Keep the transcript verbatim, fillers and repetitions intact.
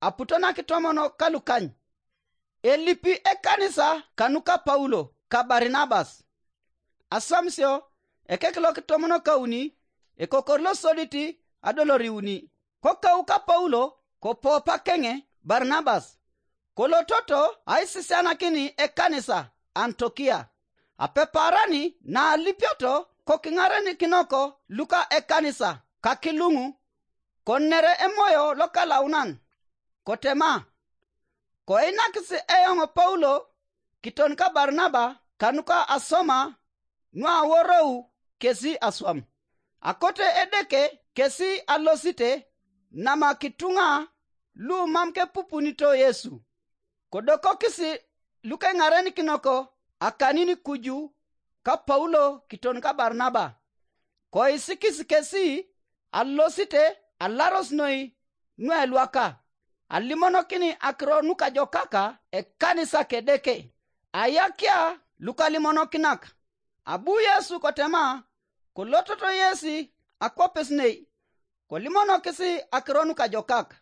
aputo na kitomonok kalukany. Elipi ekanisa kanuka Paulo ka Barinabas. Aswamisio ekek lo kitomonok kauni, ekokor losodit adoloriuni. Kokau ka Paulo kopopa keŋe Barinabas, kolototo aisisianakin ekanisa Antokia. Apeparan na alipioto kokiŋarenikinok luka ekanisa kakiluŋu, konere Emoyo Lokalaunan, kotema, koinakis eoŋ Paulo kiton ka Barinaba kanuka asoma nuaworou kesi aswam. Akote Edeke kesi alosite nama kituŋa lu mam kepupunito Yesu. Kodokokis lukeŋarenikinok akanin kuju ka Paulo kiton ka Barinaba, koisikis kesi alosite alaros noi nuelwaka, alimonokin akiro nukajokak ekanisa Kedeke, ayakia lukalimonokinak. Abu Yesu kotema, kolototo yesi akwapes nei, kolimonokis akiro nukajokak.